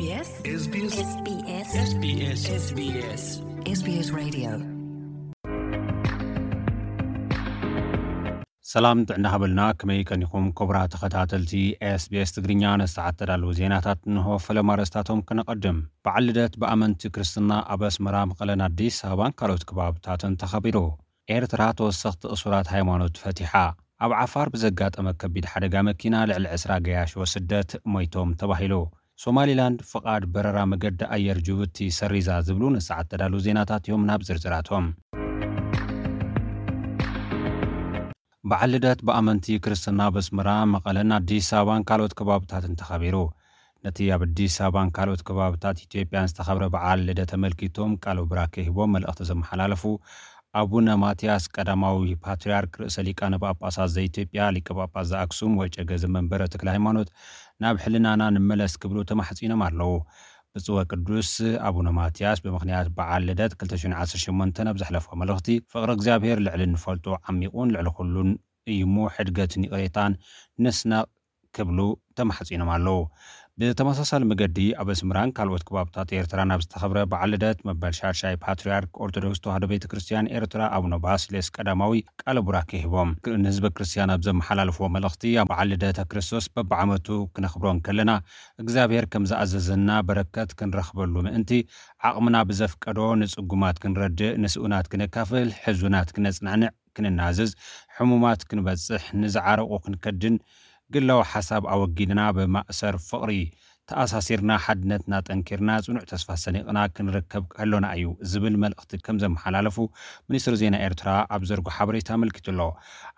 SBS SBS SBS SBS Radio. ሰላም ጥዕና ሃበልና፣ ከመይ ቀኒኹም ክቡራት ተኸታተልቲ SBS ትግርኛ? ነሰዓት ተዳለዉ ዜናታት እንሆ። ፈለማ ኣርእስታቶም ክነቐድም። በዓል ልደት ብኣመንቲ ክርስትና ኣብ ኣስመራ፣ መቐለን ኣዲስ ኣበባን ካልኦት ከባብታትን ተኸቢሩ። ኤርትራ ተወሰኽቲ እሱራት ሃይማኖት ፈቲሓ። ኣብ ዓፋር ብዘጋጠመ ከቢድ ሓደጋ መኪና ልዕሊ ዕስራ ገያሾ ስደት ሞይቶም ተባሂሉ። ሶማሊላንድ ፍቓድ በረራ መገዲ ኣየር ጅቡቲ ሰሪዛ ዝብሉ ንሰዓት ተዳሉ ዜናታት እዮም። ናብ ዝርዝራቶም። በዓል ልደት ብኣመንቲ ክርስትና ኣብ ኣስመራ፣ መቐለን ኣዲስ ኣበባን ካልኦት ከባብታትን ተኸቢሩ። ነቲ ኣብ ኣዲስ ኣበባን ካልኦት ከባብታት ኢትዮጵያን ዝተኸብረ በዓል ልደት ተመልኪቶም ቃለ ቡራኬ ሂቦም መልእኽቲ ዘመሓላለፉ ኣቡነ ማትያስ ቀዳማዊ ፓትርያርክ ርእሰ ሊቃነ ጳጳሳት ዘኢትዮጵያ፣ ሊቀ ጳጳስ ዘኣክሱም ወጨገ ዘመንበረ ተክለ ሃይማኖት፣ ናብ ሕልናና ንመለስ ክብሉ ተማሕጺኖም ኣለዉ። ብፁዕ ወቅዱስ ኣቡነ ማትያስ ብምኽንያት በዓል ልደት ክልተ ሽሕን ዓሰርተ ሸሞንተን ኣብ ዘሕለፎ መልእኽቲ፣ ፍቕሪ እግዚኣብሔር ልዕሊ እንፈልጦ ዓሚቑን ልዕሊ ኩሉን እዩ እሞ፣ ሕድገትን ይቕሬታን ንስነቕ ክብሉ ተማሕጺኖም ኣለዉ። ብተመሳሳሊ መገዲ ኣብ ኣስመራን ካልኦት ከባብታት ኤርትራን ኣብ ዝተኸብረ በዓል ልደት መበል ሻድሻይ ፓትርያርክ ኦርቶዶክስ ተዋህዶ ቤተ ክርስቲያን ኤርትራ ኣቡነ ባስልዮስ ቀዳማዊ ቃለ ቡራኬ ሂቦም። ንህዝበ ክርስቲያን ኣብ ዘመሓላለፍዎ መልእኽቲ፣ ኣብ በዓል ልደተ ክርስቶስ በብዓመቱ ክነኽብሮ እንከለና እግዚኣብሔር ከም ዝኣዘዘና በረከት ክንረኽበሉ ምእንቲ ዓቕምና ብዘፍቀዶ ንጽጉማት ክንረድእ፣ ንስኡናት ክነካፍል፣ ሕዙናት ክነጽናንዕ፣ ክንናዘዝ፣ ሕሙማት ክንበጽሕ፣ ንዝዓረቑ ክንከድን፣ ግላዊ ሓሳብ ኣወጊድና ብማእሰር ፍቕሪ ተኣሳሲርና፣ ሓድነትና ጠንኪርና፣ ጽኑዕ ተስፋ ሰኒቕና ክንርከብ ከሎና እዩ ዝብል መልእኽቲ ከም ዘመሓላለፉ ሚኒስትሪ ዜና ኤርትራ ኣብ ዘርጎ ሓበሬታ ኣመልኪቱ ኣሎ።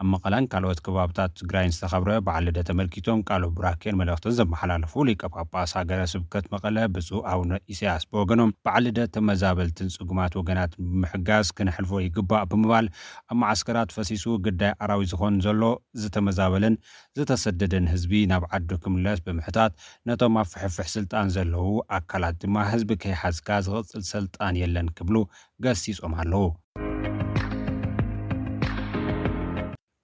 ኣብ መቐለን ካልኦት ከባብታት ትግራይን ዝተኸብረ በዓል ልደት ተመልኪቶም ቃለ ቡራኬን መልእኽትን ዘመሓላለፉ ሊቀ ጳጳስ ሃገረ ስብከት መቐለ ብፁዕ ኣቡነ ኢሳያስ ብወገኖም፣ በዓል ልደት ተመዛበልትን ጽጉማት ወገናት ብምሕጋዝ ክነሕልፎ ይግባእ ብምባል፣ ኣብ መዓስከራት ፈሲሱ ግዳይ ኣራዊት ዝኾን ዘሎ ዝተመዛበለን ዝተሰደደን ህዝቢ ናብ ዓዱ ክምለስ ብምሕታት፣ ነቶም ኣብ ፍሕፍሕ ስልጣን ዘለዉ ኣካላት ድማ ህዝቢ ከይሓዝካ ዝቕጽል ስልጣን የለን ክብሉ ገሲጾም ኣለዉ።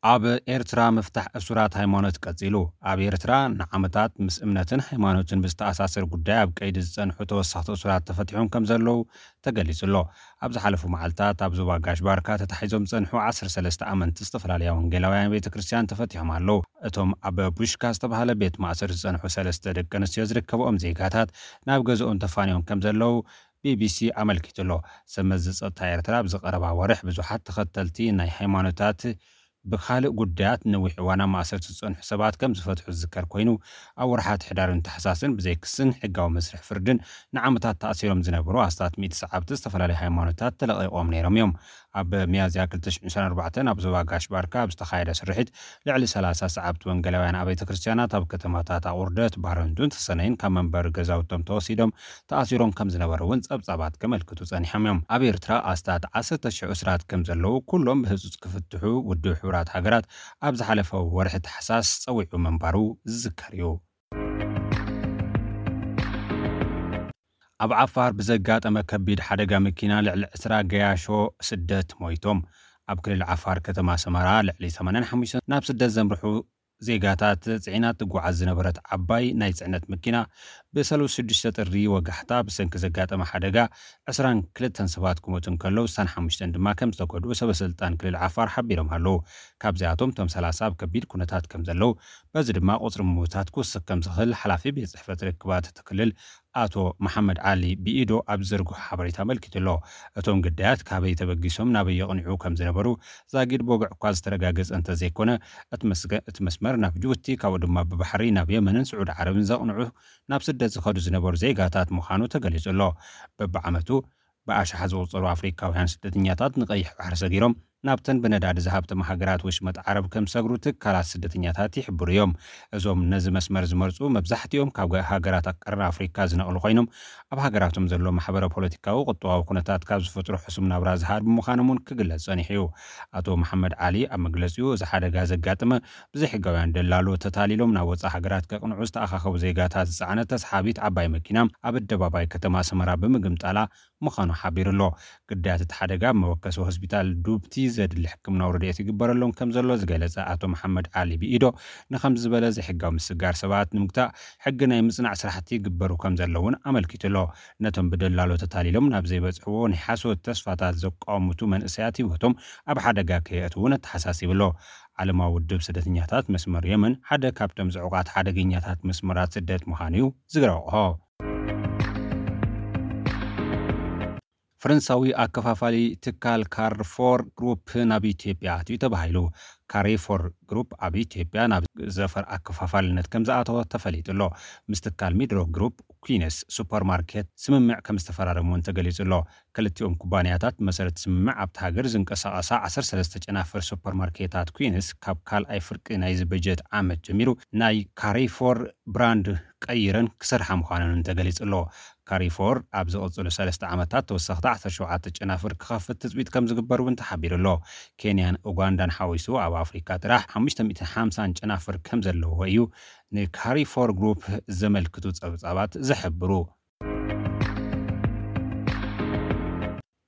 ኣብ ኤርትራ ምፍታሕ እሱራት ሃይማኖት ቀጺሉ። ኣብ ኤርትራ ንዓመታት ምስ እምነትን ሃይማኖትን ብዝተኣሳሰር ጉዳይ ኣብ ቀይዲ ዝጸንሑ ተወሰኽቲ እሱራት ተፈቲሖም ከም ዘለዉ ተገሊጹ ኣሎ። ኣብ ዝሓለፉ መዓልታት ኣብ ዞባ ጋሽ ባርካ ተታሒዞም ዝጸንሑ ዓሰርተ ሰለስተ ኣመንቲ ዝተፈላለያ ወንጌላውያን ቤተ ክርስቲያን ተፈቲሖም ኣለዉ። እቶም ኣብ ቡሽካ ዝተባህለ ቤት ማእሰር ዝጸንሑ ሰለስተ ደቂ ኣንስትዮ ዝርከብኦም ዜጋታት ናብ ገዝኦም ተፋንዮም ከም ዘለዉ ቢቢሲ ኣመልኪቱ ኣሎ። ሰብ መዚ ጸጥታ ኤርትራ ኣብዚ ቀረባ ወርሕ ብዙሓት ተኸተልቲ ናይ ሃይማኖታት ብኻልእ ጉዳያት ነዊሕ እዋን ኣብ ማእሰርቲ ዝጸንሑ ሰባት ከም ዝፈትሑ ዝዝከር ኮይኑ፣ ኣብ ወርሓት ሕዳርን ታሕሳስን ብዘይ ክስን ሕጋዊ መስርሕ ፍርድን ንዓመታት ተኣሲሮም ዝነበሩ ኣስታት ሚእቲ ሰዓብቲ ዝተፈላለዩ ሃይማኖታት ተለቒቖም ነይሮም እዮም። ኣብ ሚያዝያ ክልተ ሽሕን ዕስራን ኣርባዕተን ኣብ ዞባ ጋሽ ባርካ ኣብ ዝተኻየደ ስርሒት ልዕሊ ሰላሳ ሰዓብቲ ወንጌላውያን ኣብያተ ክርስቲያናት ኣብ ከተማታት ኣቑርደት፣ ባረንቱን ተሰነይን ካብ መንበሪ ገዛውቶም ተወሲዶም ተኣሲሮም ከም ዝነበሩ እውን ጸብጻባት ከመልክቱ ጸኒሖም እዮም። ኣብ ኤርትራ ኣስታት ዓሰርተ ሽሕ እሱራት ከም ዘለዉ፣ ኩሎም ብህጹጽ ክፍትሑ ውድብ ሕቡራት ሃገራት ኣብ ዝሓለፈ ወርሒ ታሕሳስ ጸዊዑ ምንባሩ ዝዝከር እዩ። ኣብ ዓፋር ብዘጋጠመ ከቢድ ሓደጋ መኪና ልዕሊ ዕስራ ገያሾ ስደት ሞይቶም። ኣብ ክልል ዓፋር ከተማ ሰመራ ልዕሊ ሰማንያን ሓሙሽተን ናብ ስደት ዘምርሑ ዜጋታት ጽዒና ትጓዓዝ ዝነበረት ዓባይ ናይ ጽዕነት መኪና ብሰሉስ ሽዱሽተ ጥሪ ወጋሕታ ብሰንኪ ዘጋጠመ ሓደጋ ዕስራን ክልተን ሰባት ክሞቱ እንከለዉ፣ ስሳን ሓሙሽተን ድማ ከም ዝተጎድኡ ሰበ ስልጣን ክልል ዓፋር ሓቢሮም ኣለዉ። ካብዚኣቶም እቶም ሰላሳ ኣብ ከቢድ ኩነታት ከም ዘለዉ፣ በዚ ድማ ቁጽሪ ምዉታት ክውስኽ ከም ዝኽእል ሓላፊ ቤት ጽሕፈት ርክባት እቲ ክልል ኣቶ መሓመድ ዓሊ ብኢዶ ኣብ ዝዘርግሖ ሓበሬታ ኣመልኪቱ ኣሎ። እቶም ግዳያት ካበይ ተበጊሶም ናበይ የቕንዑ ከም ዝነበሩ ዛጊድ ብወግዒ እኳ ዝተረጋገጸ እንተዘይኮነ፣ እቲ መስገ-፣ እቲ መስመር ናብ ጅቡቲ፣ ካብኡ ድማ ብባሕሪ ናብ የመንን ስዑዲ ዓረብን ዘቕንዑ፣ ናብ ስደት ዝኸዱ ዝነበሩ ዜጋታት ምዃኑ ተገሊጹ ኣሎ። በብዓመቱ ብኣሽሓት ዝቑጸሩ ኣፍሪካውያን ስደተኛታት ንቀይሕ ባሕሪ ሰጊሮም ናብተን ብነዳዲ ዝሃብተማ ሃገራት ወሽመጥ ዓረብ ከም ዝሰግሩ ትካላት ስደተኛታት ይሕብሩ እዮም። እዞም ነዚ መስመር ዝመርጹ መብዛሕትኦም ካብ ሃገራት ቀርኒ ኣፍሪካ ዝነቕሉ ኮይኖም፣ ኣብ ሃገራቶም ዘሎ ማሕበረ ፖለቲካዊ ቁጠባዊ ኩነታት ካብ ዝፈጥሮ ሕሱም ናብራ ዝሃር ብምዃኖም እውን ክግለጽ ጸኒሑ እዩ። ኣቶ መሓመድ ዓሊ ኣብ መግለጺኡ፣ እዚ ሓደጋ ዘጋጠመ ብዘይሕጋውያን ደላሎ ተታሊሎም ናብ ወጻኢ ሃገራት ከቕንዑ ዝተኣኻኸቡ ዜጋታት ዝጸዓነት ተስሓቢት ዓባይ መኪና ኣብ ኣደባባይ ከተማ ሰመራ ብምግምጣላ ምዃኑ ሓቢሩ ኣሎ። ግዳያት እቲ ሓደጋ ኣብ መወከሲ ሆስፒታል ዱብቲ ዘድሊ ሕክምናዊ ረድኤት ይግበረሎም ከም ዘሎ ዝገለጸ ኣቶ መሓመድ ዓሊ ብኢዶ፣ ንኸም ዝበለ ዘይሕጋዊ ምስጋር ሰባት ንምግታእ ሕጊ ናይ ምጽናዕ ስራሕቲ ይግበሩ ከም ዘለውን ኣመልኪቱ ኣሎ። ነቶም ብደላሎ ተታሊሎም ናብ ዘይበጽሕዎ ናይ ሓሶት ተስፋታት ዘቋምቱ መንእሰያት ህይወቶም ኣብ ሓደጋ ከየእትውን ኣተሓሳሲቡ ኣሎ። ዓለማዊ ውድብ ስደተኛታት መስመር የመን ሓደ ካብቶም ዝዕቋት ሓደገኛታት መስመራት ስደት ምዃኑ እዩ ዝረቕሖ። ፈረንሳዊ ኣከፋፋሊ ትካል ካርፎር ግሩፕ ናብ ኢትዮጵያ ኣትዩ ተባሂሉ። ካሪፎር ግሩፕ ኣብ ኢትዮጵያ ናብ ዘፈር ኣከፋፋልነት ከም ዝኣተወ ተፈሊጡ ኣሎ። ምስ ትካል ሚድሮክ ግሩፕ ኩዊንስ ሱፐርማርኬት ስምምዕ ከም ዝተፈራረሙ እውን ተገሊጹ ኣሎ። ክልቲኦም ኩባንያታት ብመሰረት ስምምዕ ኣብቲ ሃገር ዝንቀሳቐሳ ዓሰርተ ሰለስተ ጨናፍር ሱፐርማርኬታት ኩዊንስ ካብ ካልኣይ ፍርቂ ናይዚ በጀት ዓመት ጀሚሩ ናይ ካሪፎር ብራንድ ቀይረን ክሰርሓ ምዃነን እውን ተገሊጹ ኣሎ። ካሪፎር ኣብ ዝቕጽሉ ሰለስተ ዓመታት ተወሰኽቲ ዓሰርተ ሸውዓተ ጨናፍር ክኸፍት ትጽቢት ከም ዝግበር እውን ተሓቢሩ ኣሎ። ኬንያን ኡጋንዳን ሓዊሱ ኣብ ኣፍሪካ ጥራሕ ሓሙሽተ ሚእትን ሓምሳን ጨናፍር ከም ዘለዎ እዩ ንካሪፎር ግሩፕ ዘመልክቱ ጸብጻባት ዝሕብሩ።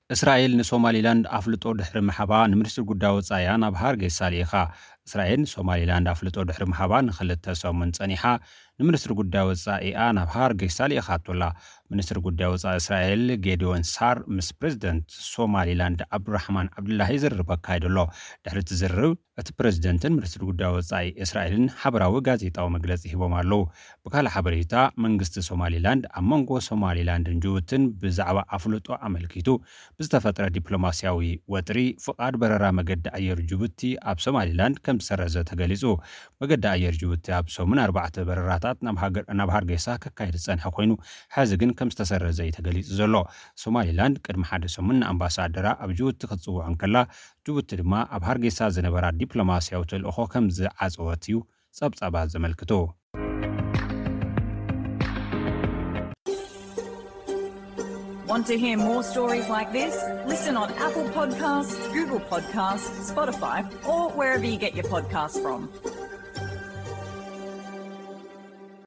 እስራኤል ንሶማሊላንድ ኣፍልጦ ድሕሪ ምሃባ ንሚኒስትሪ ጉዳይ ወጻኢኣ ናብ ሃርጌሳ ልኢኻ። እስራኤል ንሶማሊላንድ ኣፍልጦ ድሕሪ ምሃባ ንኽልተ ሰሙን ጸኒሓ ንሚኒስትሪ ጉዳይ ወጻኢኣ ናብ ሃርጌሳ ልኢኻቶ ኣላ። ሚኒስትሪ ጉዳይ ወጻኢ እስራኤል ጌዲዮን ሳር ምስ ፕሬዚደንት ሶማሊላንድ ዓብዱራሕማን ዓብዱላሂ ዝርርብ ኣካይዱ ኣሎ። ድሕሪ እቲ ዝርርብ እቲ ፕሬዚደንትን ሚኒስትሪ ጉዳይ ወጻኢ እስራኤልን ሓበራዊ ጋዜጣዊ መግለጺ ሂቦም ኣለዉ። ብካልእ ሓበሬታ መንግስቲ ሶማሊላንድ ኣብ መንጎ ሶማሊላንድን ጅቡትን ብዛዕባ ኣፍልጦ ኣመልኪቱ ብዝተፈጥረ ዲፕሎማስያዊ ወጥሪ ፍቓድ በረራ መገዲ ኣየር ጅቡቲ ኣብ ሶማሊላንድ ከም ዝሰረዘ ተገሊጹ። መገዲ ኣየር ጅቡቲ ኣብ ሰሙን ኣርባዕተ በረራታት ናብ ሃርጌሳ ከካይድ ዝጸንሐ ኮይኑ ሕዚ ግን ከም ዝተሰረዘ እዩ ተገሊጹ ዘሎ። ሶማሊላንድ ቅድሚ ሓደ ሰሙን ንኣምባሳደራ ኣብ ጅቡቲ ክትጽውዖ እንከላ ጅቡቲ ድማ ኣብ ሃርጌሳ ዝነበራ ዲፕሎማስያዊ ተልእኾ ከም ዝዓጸወት እዩ ጸብጻባት ዘመልክቱ። Want to hear more stories like this? Listen on Apple Podcasts, Google Podcasts, Spotify, or wherever you get your podcasts from.